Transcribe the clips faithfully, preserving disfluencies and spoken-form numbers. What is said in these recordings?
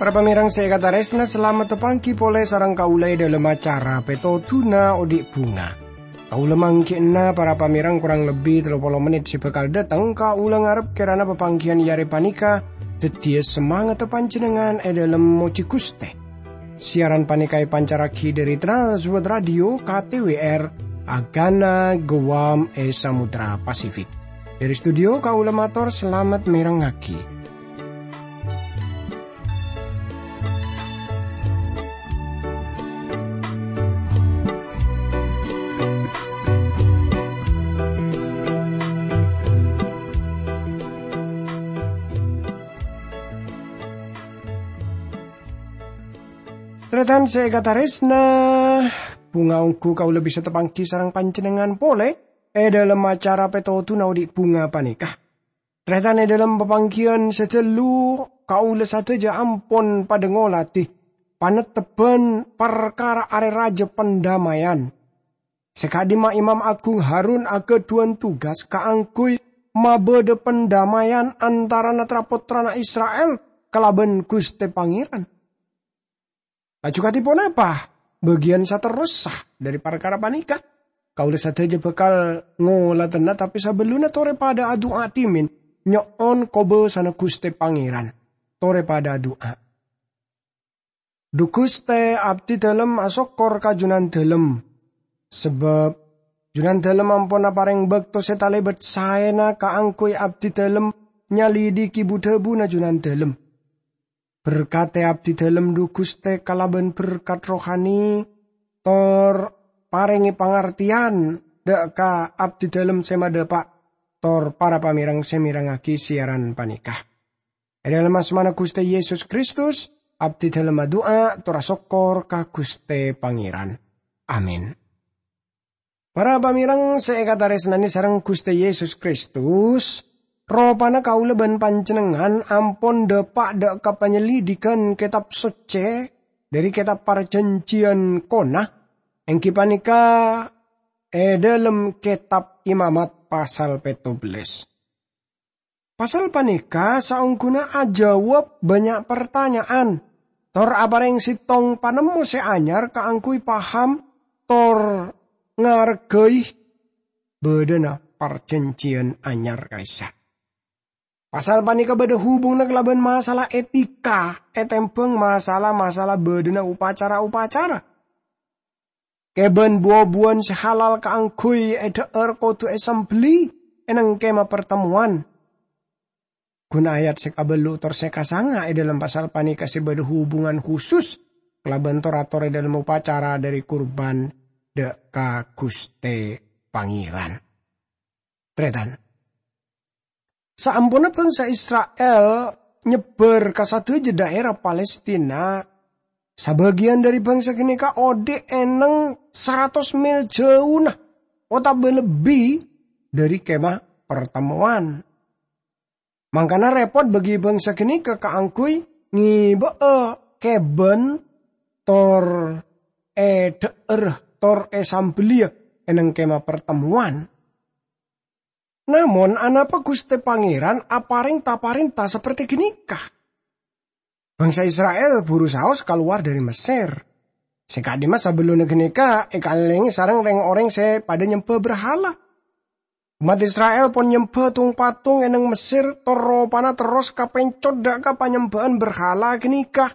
Para pamèrèng sè èkatarèsna, salamet tapangghi polè sareng kaulâ è dhâlem acara Pètodhuna Odi' Bhunga. Kaulâ mangghi'na para pamèrèng korang lebbi tello polo mennit sè bhâkal dâteng. Kaulâ ngarep kèrana papangghiyân è arè panèka dhâddhiyâ samangatta panjhennengngan è dhâlem mojhi Ghustè. Siaran panèka èpancarraghi dhâri Trans World Radio K T W R, Agana Guam è Samudra Pasifik. Dhâri studio kaulâ mator salamet mèrengngaghi. Tarètan sè èkatarèsna, bhunga ongghu kaulâ bisa tapangghi sareng panjhennengngan polè è dhâlem acara Pètodhuna Odi' Bhunga panèka. Tarètan è dhâlem papangghiyân sè ghâllu, kaulâ sadhâjâ ampon padâ ngoladhi panettebbhân parkara Arè Rajâ Pandammayan. Sè ka'dimma Imam Agung Harun aghâdhuwân tugas kaangghuy mabâdâ pandammayan antarana tra-pottrana Isra'il kalabân Ghustè Pangèran. Laju kadhi ponapa bâgiyân saterrossa dhâri parkara panèka? Kaulâ sadhâjâ bhâkal ngoladhâna, tapè sabellunna torè padâ adu'a dhimèn nyo'on kobâsana Ghustè Pangèran. Torè padâ adu'a. Dhu Ghustè, abdhidhâlem asokkor ka Jhunandhâlem, sabâb Jhunandhâlem ampon aparèng bâkto sè talèbât saèna kaangghuy abdhidhâlem nyalidhighi bu-dhâbuna Jhunandhâlem. Berkadhi abdhidhâlem, dhu Ghustè, kalabân berkat rohani, tor parèngè pangartèyan dhâ' ka abdhidhâlem sè madhâpa', tor para pamèrèng sè mèrengngaghi siaran panèka. È dhâlem asmana Ghustè Yesus Kristus, abdhidhâlem adu'a tor asokkor ka Ghustè Pangèran. Amin. Para pamèrèng sè èkatarèsnanè sareng Ghustè Yesus Kristus, ropana kaulâ bân panjhennengngan ampon dhâpa' dhâ' ka panyelidhighân Kètab Soccè dhâri Kètab Parjhânjhiyân Kona, èngghi panèka è dhâlem Kètab Imamat pasal pètto bellâs. Pasal panèka saongghuna ajâwâb bânnya' partanya'an, tor aparèng sèttong panemmo sè anyar kaangghuy paham tor ngareghâi bâdâna Parjhânjhiyân Anyar ka'issa'. Pasal panèka bâdâ hubunganna kalabân masalah etika ètèmbhâng masalah-masalah bâdâna upacara-upacara. Kèbân bu-obuwân sè halal kaangghuy èdhâ'âr kodhu èsambelli è neng Kèma Partemmowan. Ghun ayat sè kabâllu' tor sè kasanga è dhâlem pasal panèka sè bâdâ hubungan khusus kalabân tor-ator è dhâlem opacara dhâri kurban dhâ' ka Ghustè Pangèran. Tarètan. Saamponna bhângsa Isra'il nyebbhâr ka sadhâjâ dhaèra Palestina, sabâgiyân dhâri bhângsa ghânèka odi' è neng saratos mèl jhâuna otabâ lebbi dhâri Kèma Partemmowan. Mangkana rèpot bagi bhângsa ghânèka kaangghuy ngèbâ'â kèbân tor èdhâ'âr tor èsambelliyâ è neng Kèma Partemmowan. Namong, anapa Ghustè Pangèran aparèng ta-parènta saperte ghânèka? Bhângsa Isra'il buru saos kalowar dhâri Messèr. Sè ka'dimma sabellunna ghânèka èkalèngè sareng rèng-orèng sè padâ nyembhâ berhala. Ommat Isra'il pon nyembhâ tung-patung è neng Messèr, tor ropana terros kapèncot dhâ' ka panyembhâ'ân berhala ghânèka.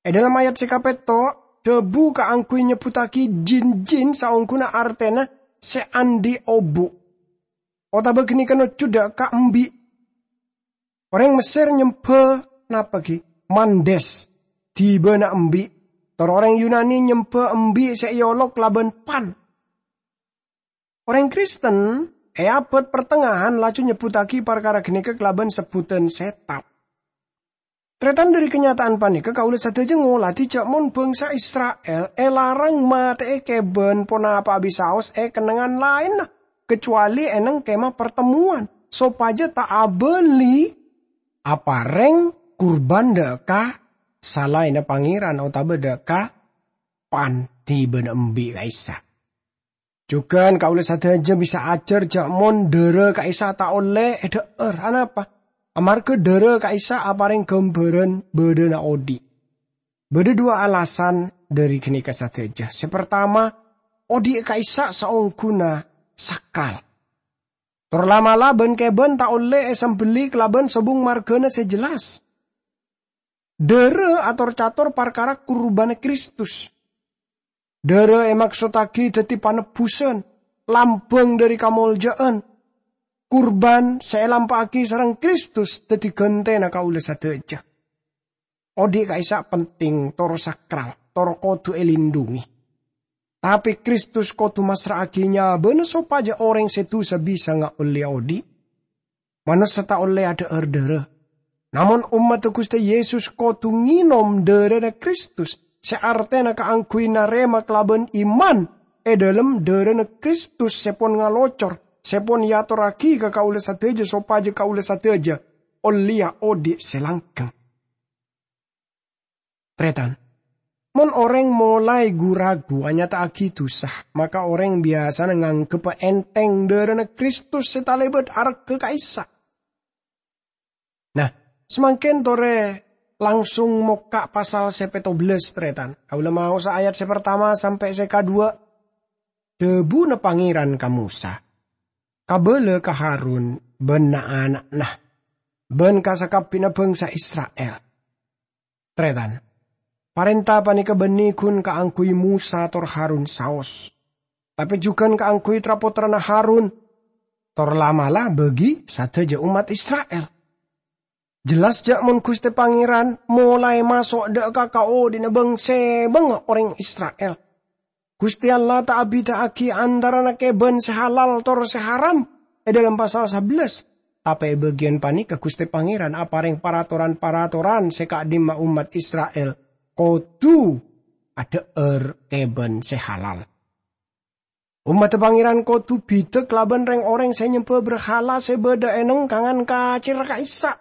È dhâlem ayat sè kapètto', dhâbu kaangghuy nyebbhuttaghi jin-jin saongghuna artèna sè andi' obu'. Otabâ ghânèka nojjhu dhâ' ka embi'. Orèng Messèr nyembhâ napa ghi? Mandes, dhibâna embi'. Tor orèng Yunani nyembhâ embi' sè èolok kalabân pan. Orèng Kristen è abâd partengngahan laju nyebbhuttaghi parkara ghânèka kalabân sebbhudhân sètan. Tarètan, dhâri kanyata'an panèka kaulâ sadhâjâ ngoladhi jhâ' mon bhângsa Isra'il èlarang matè'è kèbân ponapa'a bisaos è kennengngan laènna, kacowalè è neng Kèma Partemmowan, sopajâ ta' abâli aparèng kurban dhâ' ka salaènna Pangèran otabâ dâ' ka pan-, dhibi' embi' ka'issa'. Jhughân kaulâ sadhâjâ bisa ajhâr jhâ' mon dhârâ ka'issa' ta' ollè èdhâ'âr. Anapa? Amarghâ dhârâ ka'issa' aparèng ghâmbhârân bâdâna odi'. Bâdâ duwâ' alasan dhâri ghânèka sadhâjâ. Sè partama, odi' ka'issa' saongghuna sakral. Tor la'-mala' bân-kèbân ta' ollè èsambelli kalabân sobung marghâna sè jelas. Dhârâ ator-cator parkara kurbanna Kristus. Dhârâ èmaksottaghi dhâddhi panebbusan, lambâng dhâri kamoljâ'ân. Kurban sè èlampa'aghi sareng Kristus dhâddhi ghântèna kaulâ sadhâjâ. Odi' ka'issa' penting, tor sakral, tor kodhu èlindhungi. Tapè Kristus kodhu massra'aghi nyabâna sopajâ orèng sè dusa bisa ngaollè odi'. Manossa ta' ollè adhâ'âr dhârâ. Namong ommaddhâ Ghustè Yesus kodhu ngènom dhârâna Kristus, sè artèna kaangghuy narèma kalabân iman è dhâlem dhârâna Kristus sè pon ngalocor, sè pon èatorraghi ka kaulâ sadhâjâ sopajâ kaulâ sadhâjâ ollèya odi' sè langghâng. Tarètan, mon orèng molaè gu-ragu anyata'aghi dusa, maka orèng biyasana nganggheppa ènthèng dhârâna Kristus sè talèbât arghâ ka'issa'. Nah, samangkèn torè langsung mokka' pasal sè pètto bellâs, tarètan. Kaulâ maosa ayat sè partama sampè' sè kaduwâ'. Dhâbuna Pangèran ka Mosa, "Kabâlâ ka Harun bân na'-ana'na, bân ka sakabbhiyânna bhângsa Isra'il." Tarètan, parènta panèka bânnè ghun kaangghuy Mosa tor Harun saos, tapè jhughân kaangghuy tra-pottrana Harun, tor la'-mala' bâgi sadhâjâ ommat Isra'il. Jelas jhâ' mon Ghustè Pangèran molaè maso' dâ' ka kaodi'na bâng-sèbângnga orèng Isra'il. Ghustè Allah ta' abidhâ'aghi antarana kèbân sè halal tor sè haram è dhâlem pasal sabellâs, tapè è bâgiyân panèka Ghustè Pangèran aparèng paratoran-paratoran sè ka'dimma ommat Isra'il kodhu adhâ'âr kèbân sè halal. Ommaddhâ Pangèran kodhu bhidhâ kalabân rèng-orèng sè nyembhâ brahala sè bâdâ è nengkangan kacèr ka'issa'.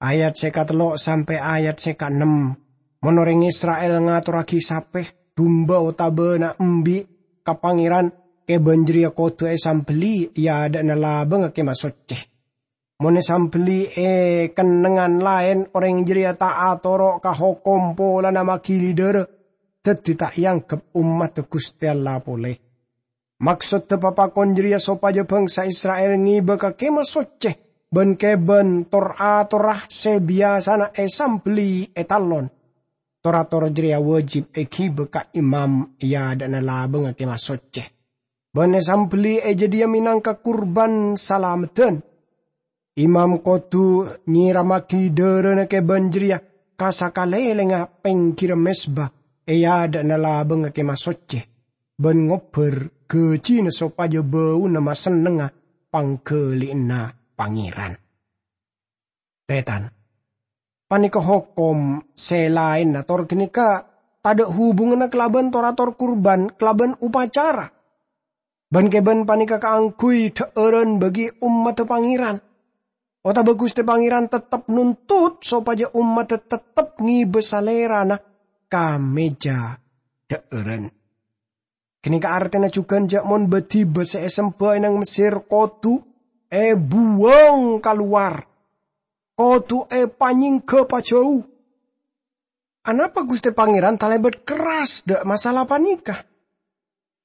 Ayat sè katello' sampè' ayat sè kaennem. Mon orèng Isra'il ngatorraghi sapè, dumba otabâ na'-embi' ka Pangèran, kèbân jârèya kodhu èsambelli è adâ'na labângnga Kèma Soccè. Mon èsambelli è kennengngan laèn, orèng jârèya ta' atoro' ka hokom polana magili dârâ, dhâddhi ta' èangghep ommaddhâ Ghustè Allah polè. Maksoddhâ papakon jârèya sopajâ bhângsa Isra'il ngibâ ka Kèma Soccè bân kèbân tor-atorra sè biyasana èsambelli è tallon. Tor-ator jârèya wâjib èghibâ ka imam è adâ'na labângnga Kèma Soccè, bân èsambelli è jâdiyâ mènangka kurban salameddhân. Imam kodhu nyèrammaghi dârâna kèbân jârèya ka sakalèlèngnga pèngghirra mezba è adâ'na labângnga Kèma Soccè, bân ngobbhâr ghâjina sopajâ bâuna masennengnga pangghâli'ânna Pangèran. Tarètan, panèka hokom sè laènna, tor ghânèka tadâ' hubunganna kalabân tor-ator kurban kalabân opacara. Bân-kèbân panèka kaangghuy dhâ'ârân bâgi ommaddhâ Pangèran. Otabâ Ghustè Pangèran tettep nontot sopajâ ommaddhâ tettep ngibâ salèrana ka mèja dhâ'ârân. Ghânèka artèna jhughân jhâ' mon bâdhibâ sè èsembhâ è nang Messèr kodhu èbuwâng kalowar, kodhu èpanyèngghâ pajhâu. Anapa Ghustè Pangèran talèbât kerras dâ' masalah panèka?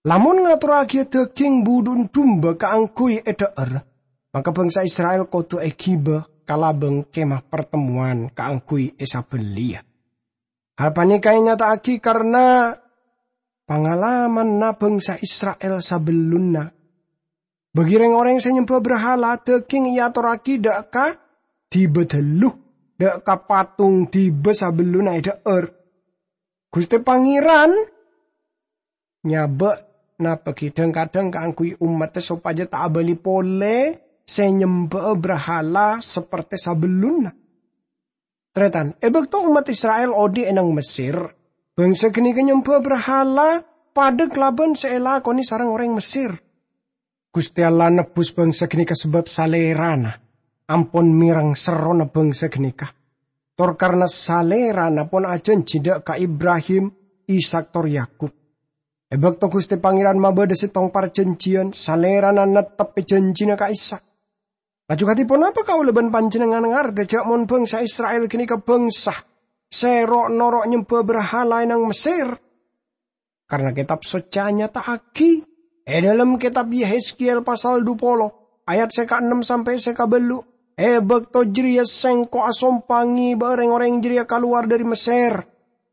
Lamon ngatorraghiyâ dhâghing budhu'na dumba kaangghuy èdhâ'âr, maka bhângsa Isra'il kodhu èghibâ ka labâng Kèma Partemmowan kaangghuy èsabelliyâ. Hal panèka ènyata'aghi karna pangalamanna bhângsa Isra'il sabellunna. Bâgi rèng-orèng sè nyembhâ brahala, dhâghing èatorraghi dâ' ka dibi' dâllu, dâ' ka patong dibi' sabellunna èdhâ'âr. Ghustè Pangèran nyabâ' napaghi dhâng-kadhâng kaangghuy ommaddhâ sopajâ ta' abâli polè sè nyembhâ'â brahala sapertè sabellunna. Tarètan, è bâkto ommat Isra'il odi' è nang Messèr, bhângsa ghânèka nyembhâ brahala padâ kalabân sè èlakonè sareng orèng Messèr. Ghustè Allah nebbhus bhângsa ghânèka sabâb Salèrana ampon mèreng serrona bhângsa ghânèka. tor karna Salèrana pon ajhânjhi dâ' ka Ibrahim, Ishak, tor Yakub. È bâkto Ghustè Pangèran mabâdâ sèttong parjhânjhiyân, Salèrana netteppè jhânjhina ka'issa'. Laju kadhi ponapa kaulâ bân panjhennengngan ngardè jâ' mon bhângsa Isra'il ghânèka bhângsa sè ro'-noro' nyembhâ brahala è nang Messèr? Karna Kètab Soccè anyata'aghi è dhâlem Kètab Yehezkiel pasal dhu polo, ayat sè kaennem sampè' sè kabâllu', "È bâkto jârèya Sèngko' asompa ngèbâ'â rèng-orèng jârèya kalowar dhâri Messèr,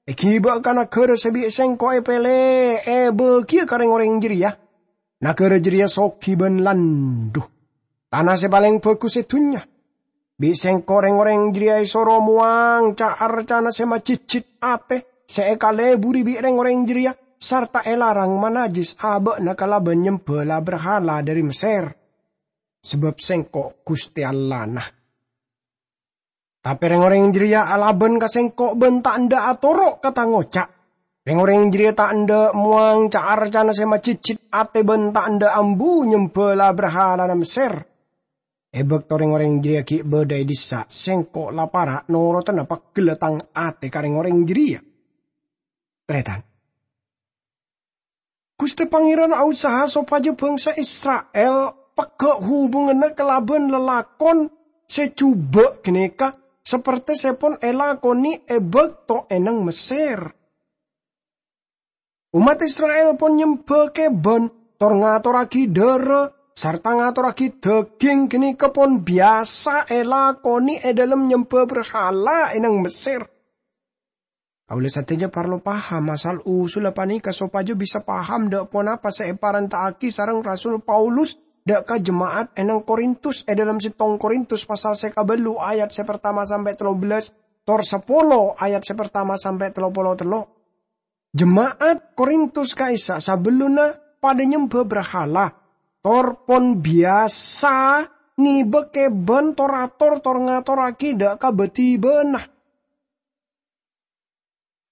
èghibâ ka naghârâ sè bi' Sèngko' èpèlè èbâghiyâ ka rèng-orèng jârèya. Naghârâ jârèya soghi bân landhu, tana sè palèng bhâghus è dhunnya. Bi' Sèngko' rèng-orèng jârèya èsoro mowang ca'-arcana sè majhidjhid atè sè èkaleburi bi' rèng-orèng jârèya, sarta èlarang manajjis abâ'na kalabân nyembhâ la-brahala dhâri Messèr, sabâb Sèngko' Ghustè Allahna. Tapè rèng-orèng jârèya alabân ka Sèngko' bân ta' endâ' atoro' ka Tang oca'. Rèng-orèng jârèya ta' endâ' mowang ca'-arcana sè majhidjhid atè bân ta' endâ' ambu nyembhâ la-brahalana Messèr. È bâkto rèng-orèng jârèya ghi' bâdâ è dissa', Sèngko' la para' noroddhâna pegghellâ Tang atè ka rèng-orèng jârèya." Tarètan. Ghustè Pangèran aosaha sopajâ bhângsa Isra'il pegghâ' hubunganna kalabân lalakon sè jhubâ' ghânèka, sapertè sè pon èlakonè è bâkto è nang Messèr. Ommat Isra'il pon nyembhâ kèbân, tor ngatorraghi dhârâ, sarta ngatorraghi dhâghing ghânèka pon biyasa èlakonè è dhâlem nyembhâ brahala è nang Messèr. Kaulâ sadhâjâ parlo paham asal-usulla panèka sopajâ bisa paham dâ' ponapa sè èparènta'aghi sareng Rasul Paulus dâ' ka jema'at è nang Korintus è dhâlem sèttong Korintus pasal sè kabâllu ayat sè partama sampè' tello bellâs, tor sapolo ayat sè partama sampè' tello polo tello'. Jema'at Korintus ka'issa' sabellunna padâ nyembhâ brahala, tor pon biyasa ngèbâ kèbân tor-ator tor ngatorraghi dâ' ka bâdhibâna.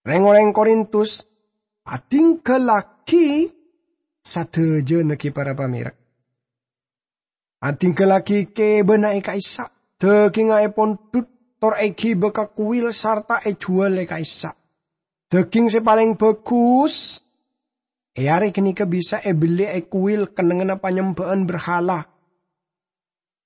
Rèng-orèng Korintus adhinggallaghi sadhâjâna ghi para pamèreng. Adhinggallaghi kèbânna è ka'issa', dhâghingnga èpondhut, tor èghibâ ka kuwil sarta èjhuwâl è ka'issa'. Dhâghing sè palèng bhâghus è arè ghânèka bisa èbellè è kuwil kennengnganna panyembhâ'ân brahala.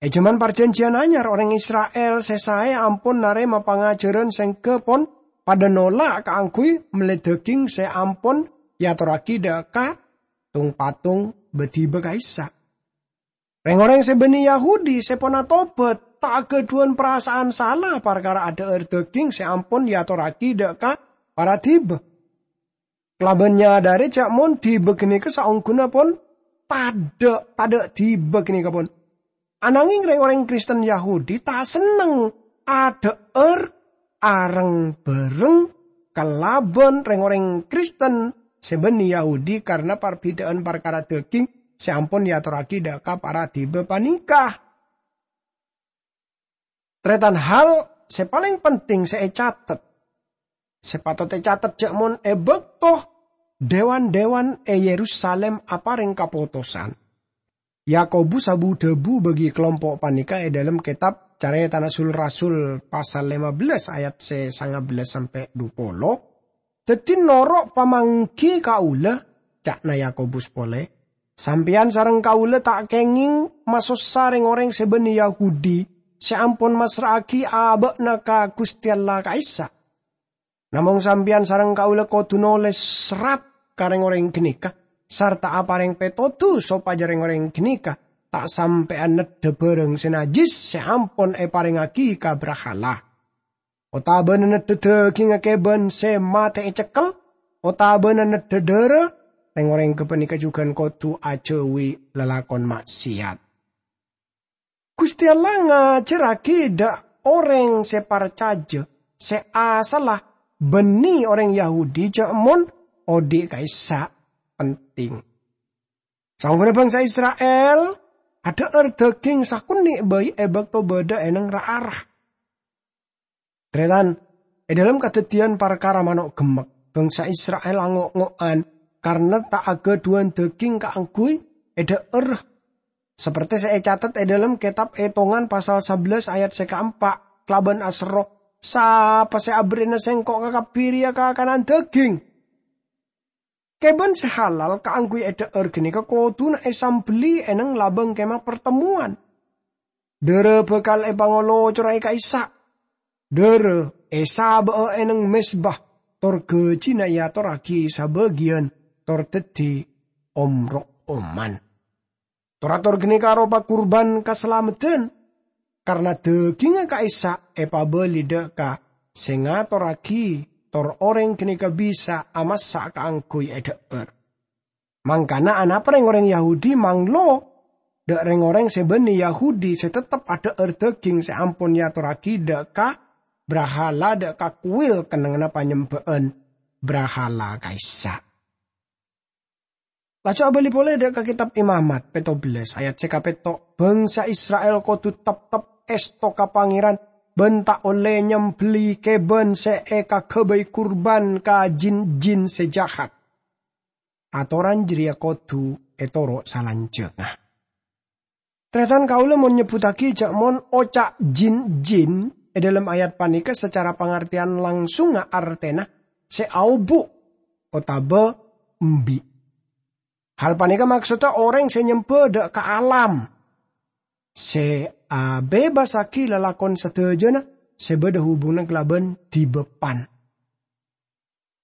È jhâman Parjhânjhiyân Anyar, orèng Isra'il sè saè ampon narèma pangajhârân sèngghâ pon padâ nolak kaangghuy mellè dhâghing sè ampon èatorraghi dâ' ka tong-patong bâdhibâ ka'issa'. Rèng-orèng sè bânnè Yahudi sè pon atobhât ta' aghâdhuwân parasa'an sala parkara adhâ'âr dhâghing sè ampon èatorraghi dâ' ka para dhiba. Kalabân nyadhâri jâ' mon dhiba ghânèka saongghuna pon tadâ', tadâ' dhiba ghânèka pon. Ananghing rèng-orèng Kristen Yahudi ta' senneng adhâ'âr areng-bhâreng kalabân rèng-orèng Kristen sè bânnè Yahudi karna parbhidhâ'ân parkara dhâghing sè ampon èatorraghi dâ' ka para dhiba panèka. Tarètan, hal sè palèng penting sè ècatet, sè patot ècatet jâ' mon è bâkto dèwan-dèwan è Yerusalim aparèng kapotosan, Yakobus abu-dhâbu bagi kalompo' panèka è dhâlem kètab Carètana Sul-Rasul pasal lèma bellâs ayat sè sanga bellâs sampè' dhu polo, "Dhâddhi noro' pamangghi kaulâ," ca'na Yakobus polè, "sampèyan sareng kaulâ ta' kèngèng masossa rèng-orèng sè bânnè Yahudi sè ampon massra'aghi abâ'na ka Ghustè Allah ka'issa'. Namong sampèyan sareng kaulâ kodhu nolès serrat ka rèng-orèng ghânèka, sarta aparèng pètodus sopajâ rèng-orèng ghânèka ta' sampèyan neddhâ bhârâng sè najjhis sè ampon èparèngaghi ka brahala, otabâna neddhâ dhâghingnga kèbân sè matè ècekkel, otabâna neddhâ dhârâ, rèng-orèng ghâpanèka jhughân kodhu ajhâuwi lalakon ma'siyat." Ghustè Allah ngajhârraghi dâ' orèng sè parcajâ sè asalla bânnè orèng Yahudi jâ' mon odi' ka'issa' penting. Saongghuna bhângsa Isra'il adhâ'âr dhâghing sakonè' bhâi è bâkto bâdâ è neng ra-ara. Tarètan, è dhâlem kadhâddhiyân parkara mano' gemmek, bhângsa Isra'il ango'-ngo'an karna ta' aghâdhuwân dhâghing kaangghuy èdhâ'âr. Sapertè sè ècatet è dhâlem kètab Ètongan pasal sabellâs ayat sè kaempa', kalabân aserro, Sapa sè aberri'ana sengko' kakabbhi rèya kakanan dhâghing? Kèbân sè halal kaangghuy èdhâ'âr ghânèka kodhuna èsambelli è neng labâng Kemah Partemmowan. Dârâ bhâkal èpangolocora è ka'issa'. Dârâ èsabâ'â è neng mezba, tor ghâjina èatorragi sabâgiyân tor dhâddhi omrok oman. Tor-ator ghânèka aropa kurban kasalameddhân, karna dhâghingnga ka'issa' èpabâli dâ' ka sè ngatorragi, tor orèng ghânèka bisa amassa' kaangghuy èdhâ'âr. Mangkana anapa rèng-orèng Yahudi manglo dâ' rèng-orèng sè bânnè Yahudi sè tettep adhâ'âr dhâghing sè ampon èatorragi dâ' ka brahala, dâ' ka kuwil kennengnganna panyembhâ'ân brahala ka'issa'? Laju abâli polè dâ' ka Kètab Imamat pètto bellâs ayat sè kapètto', "Bhângsa Isra'il kodhu teptep èsto ka Pangèran bân ta' ollè nyambelli kèbân sè èkaghâbây kurban ka jin-jin sè jahat." Atoran jârèya kodhu ètoro' salanjhângnga. Tarètan kaulâ mon nyebbhuttaghi jâ' mon oca' jin-jin è dhâlem ayat panèka sacara pangartèyan langsungnga artèna sè aobu' otabâ embi'. Hal panèka maksodda orèng sè nyembhâ dâ' ka alam, sè abebasaghi lalakon sadhâjâna sè bâdâ hubunganna kalabân dhibi' pan.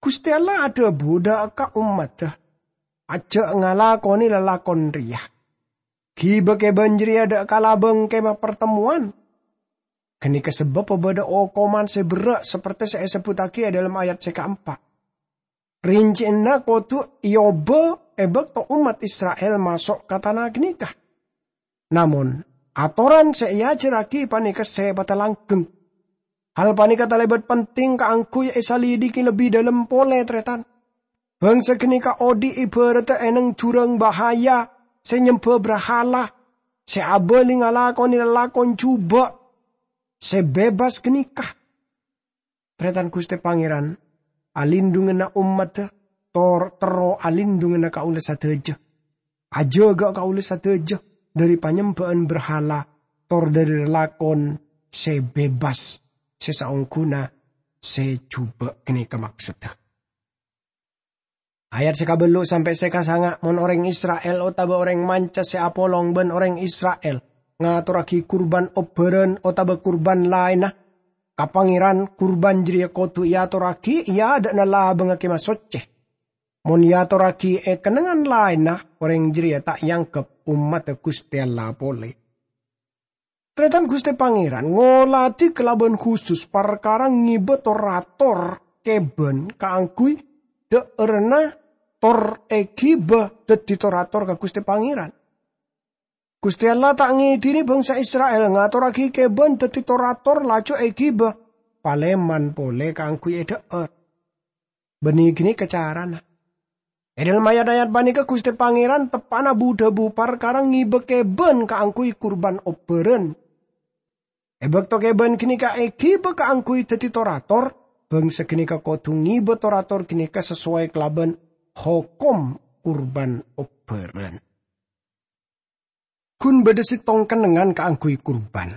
Ghustè Allah adhâbu dâ' ka ommaddhâ, "Ajjhâ' ngalakonè lalakon rèya. Ghibâ kèbân jârèya dâ' ka labâng Kemah Partemmowan." Ghânèka sabâbbhâ bâdâ okoman sè berrâ' saperte sè èsebbhuttaghi è dhâlem ayat sè kaempa'. Rincè'na kodhu èobâ è bâkto ommat Isra'il maso' ka tana ghânèka. Namong, atoran sè èajhârraghi panèka sè patalanggheng. Hal panèka talèbât penting kaangghuy èsalidiki lebbi dhâlem polè, tarètan. Bhângsa ghânèka odi' èbhârâddhâ è neng jhurâng bahaya sè nyembhâ brahala, sè abâli ngalakonè lalakon jhubâ', sè bebas ghânèka. Tarètan Ghustè Pangèran, alindhunganna ommaddhâ, tor terro alindhunganna kaulâ sadhâjâ. Ajâgâ kaulâ sadhâjâ dhâri panyembhâ'ân brahala, tor dhâri lalakon sè bebas, sè saongghuna sè jhubâ' ghânèka maksodda. Ayat sè kabâllu' sampè' sè kasanga', mon orèng Isra'il otabâ orèng manca sè apolong bân orèng Isra'il ngatorraghi kurban obbhârân otabâ kurban laènna ka Pangèran, kurban jârèya kodhu èatorraghi è adâ'na labângnga Kemah Soccè. Mon èatorraghi è kennengngan laènna, orèng jârèya ta' èangghep ommaddhâ Ghustè Allah polè. Tarètan Ghustè Pangèran ngolatè kalabân khusus parkara ngibâ tor-ator kèbân kaangghuy dhâ'ârânna tor èghibâ dhâddhi tor-ator ka Ghustè Pangèran. Ghustè Allah ta' ngèdhini bhângsa Isra'il ngatorraghi kèbân dhâddhi tor-ator laju èghibâ palèman polè kaangghuy èdhâ'âr. Bânnè ghânèka carana. È dhâlem ayat-ayat panèka Ghustè Pangèran teppa'na bu-dhâbu parkara ngibâ kèbân kaangghuy kurban obbhârân. È bâkto kèbân ghânèka èghibâ kaangghuy dhâddhi tor-ator, bhângsa ghânèka kodhu ngibâ tor-ator ghânèka sasowai kalabân hokom kurban obbhârân. Ghun bâdâ sèttong kennengngan kaangghuy kurban.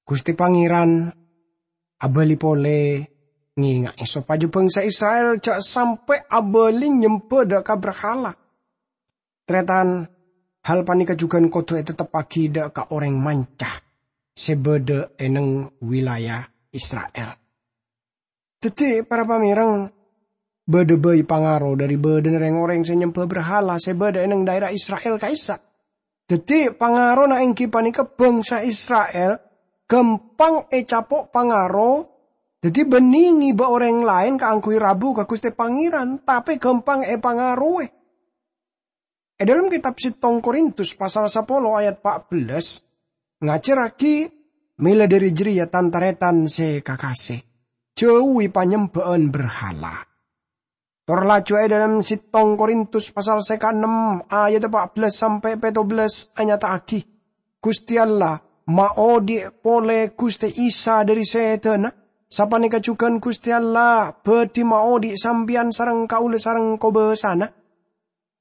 Ghustè Pangèran abâli polè ngènga'è sopajâ bhângsa Isra'il jhâ' sampè' abâli nyembhâ dâ' ka brahala. Tarètan, hal panèka jhughân kodhu ètetteppaghi dâ' ka orèng manca sè bâdâ è neng wilayah Isra'il. Dhâddhi, para pamèreng, bâdâ bhâi pangaro dhâri bâdâna rèng-orèng sè nyembhâ brahala sè bâdâ è neng dhaèra Isra'il ka'issa'. Dhâddhi, pangarona èngghi panèka bhângsa Isra'il ghâmpang ècapo' pangaro, dhâddhi bânnè ngibâ orèng laèn kaangghuy rabu ka Ghustè Pangèran, tapè ghâmpang èpangarowè. È dhâlem kètab sèttong Korintus pasal sapolo ayat pa' bellâs ngajhârraghi mèla dhâri jârèya, tan-tarètan sè kakasè, jhâuwi panyembhâ'ân brahala. Tor laju è dhâlem sèttong Korintus pasal sè kaennem ayat pa' bellâs sampè' pètto bellâs anyata'aghi, Ghustè Allah maodhi' polè Ghustè Isa dhâri sèdhâna, sapanèka jhughân Ghustè Allah bhâdhi maodhi' sampèyan sareng kaulâ sareng kobâsana.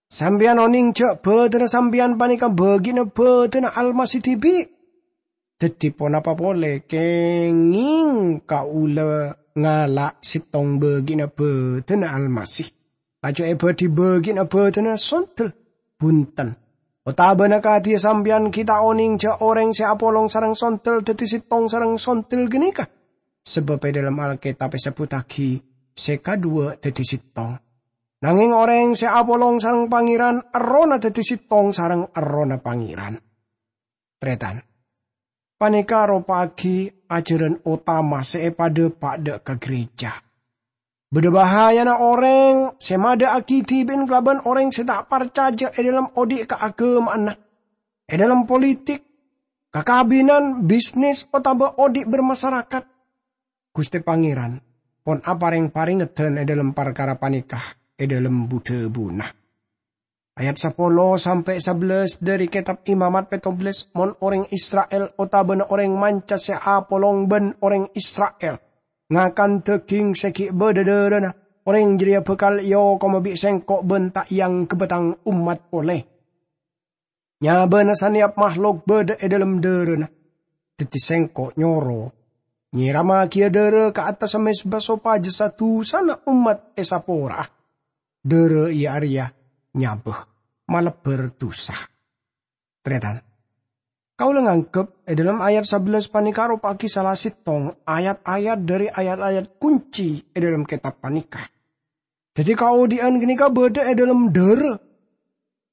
Sampèyan onèng jhâ' bhâdhânna sampèyan panèka bâgiânna bhâdhânna Almasih dhibi'. Daddi ponapa polè kèngèng kaulâ ngala' sèttong bâgi'na bâdâna Almasih, laju èbâdhi bâgi'na bâdâna sondel? Bhunten! Otabâna kadhiyâ sampèyan ghi' ta' onèng jhâ' orèng sè apolong sareng sondel daddi sèttong sareng sondel ghânèka? Sabâb è dhâlem Alkètab èsebbhuttaghi sè kadhuwâ daddi sèttong. Nangèng orèng sè apolong sareng Pangèran, errohna daddi sèttong sareng Errohna Pangèran. Tarètan, panèka aropa'aghi ajhârân otama sè èpadâpa' dâ' ka gereja. Bâdâ bahayana orèng sè madâ'aghi dhibi'na kalabân orèng sè ta' parcajâ è dhâlem odi' kaaghâmaanna, è dhâlem politik, kakabinan, bisnis, otabâ odi' bermasyarakat. Ghustè Pangèran pon aparèng parèngedhân è dhâlem parkara panèka è dhâlem bu-dhâbuna. Ayat sapolo sampè' sabellâs dhâri Kètab Imamat pèttobellâs, "Mon orèng Isra'il otabâna orèng manca sè apolong bân orèng Isra'il ngakan dâging sè ghi' bâdâ dârâna, orèng jârèya bhâkal èokoma bi' Sèngko' bân ta' èangghebba Tang ommat polè. Nyabâna sanèyap mahlok bâdâ è dhâlem dârâna. Daddi Sèngko' nyoro nyèramaghiyâ dârâ ka attassa mezba sopajâ sa-dusana ommat èsapora'a. Dârâ iyâ arèya nyabâ, malebbhâr dusa." Tarètan, kaulâ nganggep è dhâlem ayat sabellâs panèka aropa'aghi sala sèttong ayat-ayat dhâri ayat-ayat kunci è dhâlem kètab panèka. Daddi, kaodi'ân ghânèka bâdâ è dhâlem dârâ.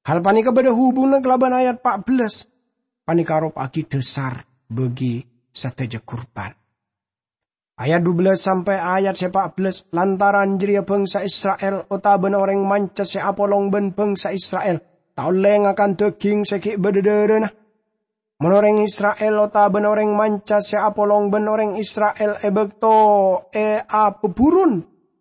Hal panèka bâdâ hubunganna kalabân ayat pa' bellâs. Panèka aropa'aghi dhâsar bagi sadhâjâ kurban. Ayat dubellâs sampè' ayat sè pa' bellâs, "Lantaran jârèya bhângsa Isra'il otabâna orèng manca sè apolong bân bhângsa Isra'il ta' ollè ngakan dâging sè ghi' bâdâ dârâna. Mon orèng Isra'il otabâna orèng manca sè apolong bân orèng Isra'il è bâkto è abhâburun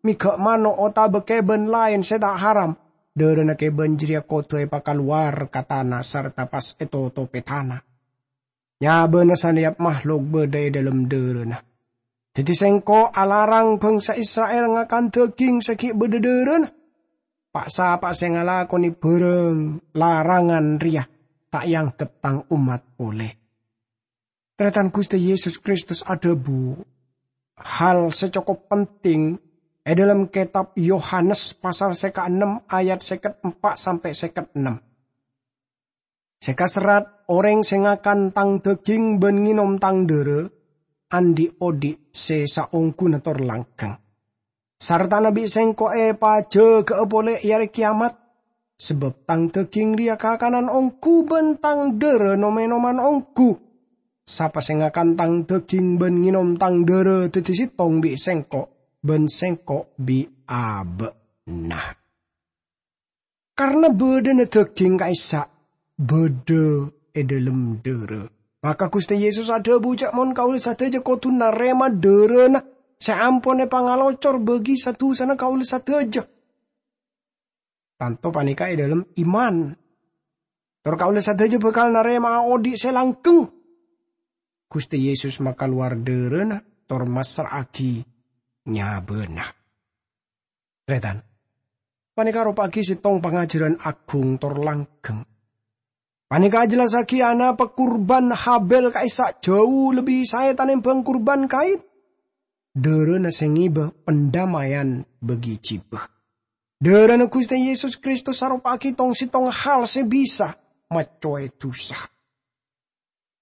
mèghâ' mano' otabâ kèbân laèn sè ta' haram, dârâna kèbân jârèya kodhu èpakalowar ka tana sarta pas ètotobhi tana. Nyabâna sanèyap mahlok bâdâ è dhâlem dârâna. Daddi, Sèngko' alarang bhângsa Isra'il ngakan dâging sè ghi' bâdâ dârâna. Pa'-sapa'a sè ngalakonè bhârâng larangan rèya ta' èangghep Tang ommat polè." Tarètan, Ghustè Yesus Kristus adhâbu hal sè cokop penting è dhâlem kètab Yohanes pasal sè kaennem ayat sèket empa' sampè' sèket ennem. Sè kaserrat, "Orèng sè ngakan Tang dâging bân ngènom Tang dârâ, andi' odi' sè saongghuna tor langghâng. Sartana bi' Sèngko' èpajâgâ'â polè è arè kèyamat, sabâb Tang dâging rèya kakanan ongghu bân Tang dârâ nom-ènoman ongghu. Sapa sè ngakan Tang dâging bân ngènom Tang dârâ daddi sèttong bi' Sèngko', bân Sèngko' bi' abâ'na." Karna bâdâna dâging ka'issa' bâdâ è dhâlem dârâ. Maka Ghustè Yesus adhâbu jâ' mon kaulâ sadhâjâ kodhu narèma dârâna sè ampon èpangalocor bagi sa-dusana kaulâ sadhâjâ. Tanto panèka è dhâlem iman. Tor kaulâ sadhâjâ bhâkal narèma'a odi' sè langghâng. Ghustè Yesus makalowar dârâna tor massra'aghi nyabâna. Tarètan, panèka aropa'aghi sèttong pangajhârân aghung tor langghâng. Panèka ajhellassaghi anapa kurban Habil ka'issa' jhâu lebbi saè tanèmbhâng kurban Kain. Dârâna sè ngèbâ pandamèyan bagi jhibâ. Dârâna Ghustè Yesus Kristus aropa'aghi tong-sèttongnga hal sè bisa maccowè dusa.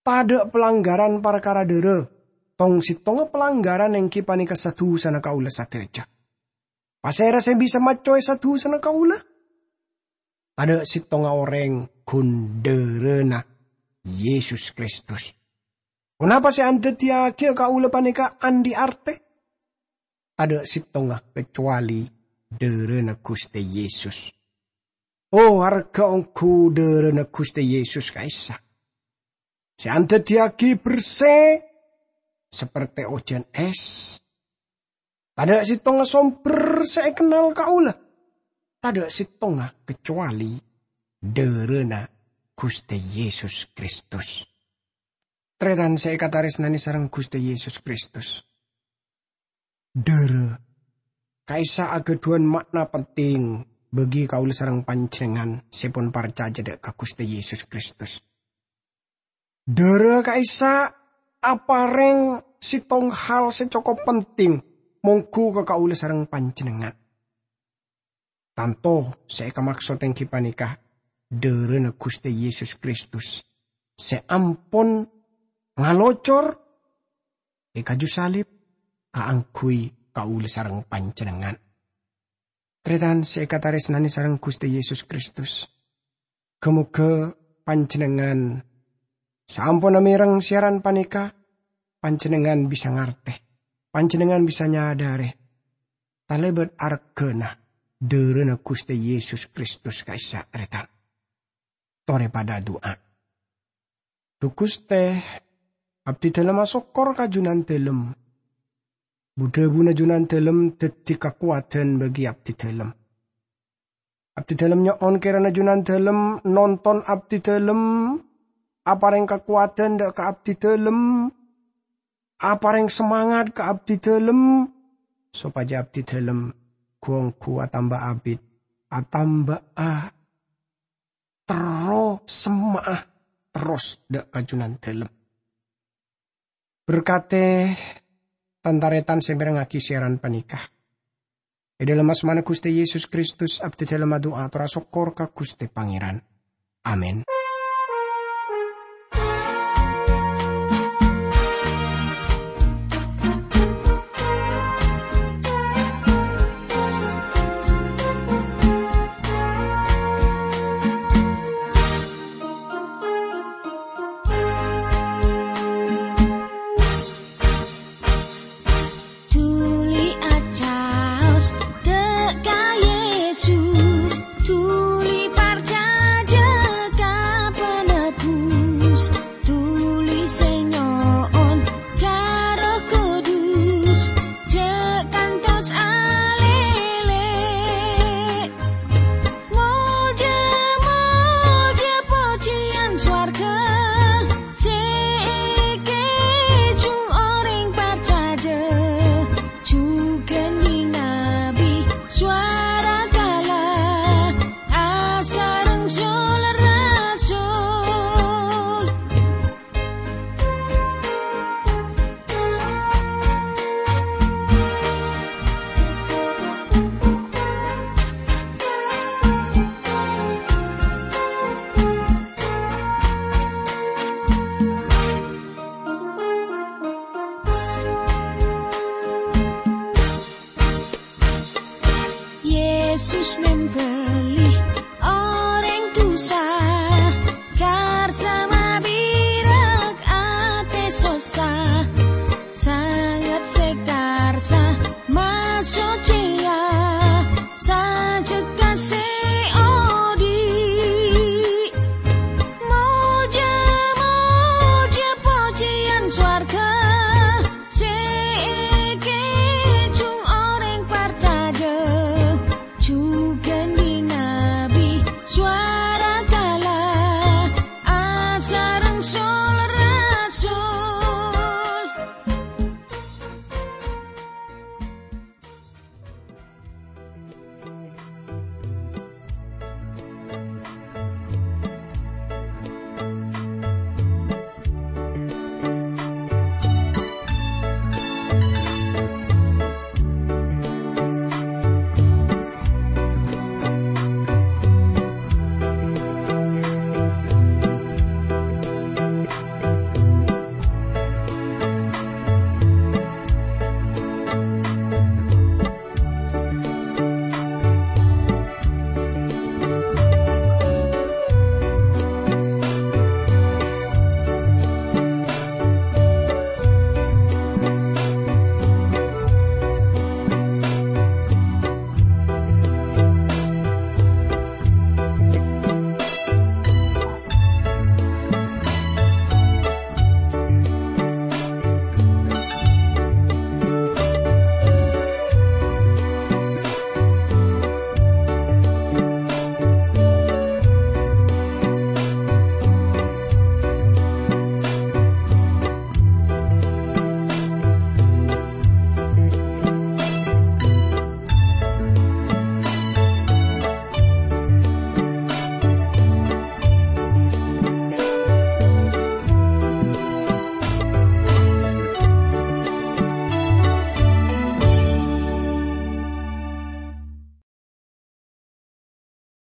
Tadâ' palanggaran parkara dârâ. Tong-sèttongnga palanggaran èngghi panèka sa-dusana kaulâ sadhâjâ. Pasèra sè bisa maccowè sa-dusana kaulâ? Tadâ' sèttongnga orèng, ghun dârâna Yesus Kristus. Ponapa sè andhâddhiyâghi kaulâ panèka andi' artè? Tadâ' sèttongnga kacowalè dârâna Ghustè Yesus. Oh, arghâ ongghu dârâna Ghustè Yesus ka'issa', sè andhâddhiyâghi bersè sapertè ojhân ès. Tadâ' sèttongnga sombher sè èkennal kaulâ. Tadâ' sèttongnga kacowalè dârâna Ghustè Yesus Kristus. Tarètan sè èkatarèsnanè sareng Ghustè Yesus Kristus. Dârâ ka'issa' aghâdhuwân ma'na penting bagi kaulâ sareng panjhennengngan sè pon parcajâ dâ' ka Ghustè Yesus Kristus. Dârâ ka'issa' aparèng sèttong hal sè cokop penting mongghu ka kaulâ sareng panjhennengngan. Tanto sè èkamaksod èngghi panèka dhârâna Ghustè Yesus Kristus sè ampon ngalocor è kaju salib kaangghuy kaulâ sareng panjhennengngan. Tarètan sè èkatarèsnanè sareng Ghustè Yesus Kristus, ghâ-moghâ panjhennengngan sè ampon amèreng siyaran panèka, panjhennengngan bisa ngartè, panjhennengngan bisa nyadhârè talèbât arghâna dhârâna Ghustè Yesus Kristus ka'issa', tarètan. Torè padâ adu'a. Dhu Ghustè, abdhidhâlem asokkor ka Junandhâlem. Bu-dhâbuna Junandhâlem dhâddhi kakowadhân bagi abdhidhâlem. Abdhidhâlem nyo'on kèrana Junandhâlem nonton abdhidhâlem, aparèng kakowadhân dâ' ka abdhidhâlem, aparèng samangat ka abdhidhâlem, sopajâ abdhidhâlem ghu-ongghu atamba abit, atamba'a terro semma'a terros dâ' ka Junandhâlem. Berkatè tan-tarètan sè mèrengngaghi siyaran panèka. È dhâlem asmana Ghustè Yesus Kristus, abdhidhâlem adu'a ator asokkor ka Ghustè Pangèran. Amin. Dhuli acaos dâ' ka Yesus, dhuli parcajâ ka Penebus, dhuli sè nyo'on ka Erroh Kudus, jhâ' kantos alèlè. Molja, molja, pojhiyân sowarghâ sè èkèjhung orèng parcajâ, jhughân nyinabi sowara kala asareng sol-rasul. Yesus nèmbhâli orèng dhusa, karsa mabirâk atè sossa, sanget sè karsa maso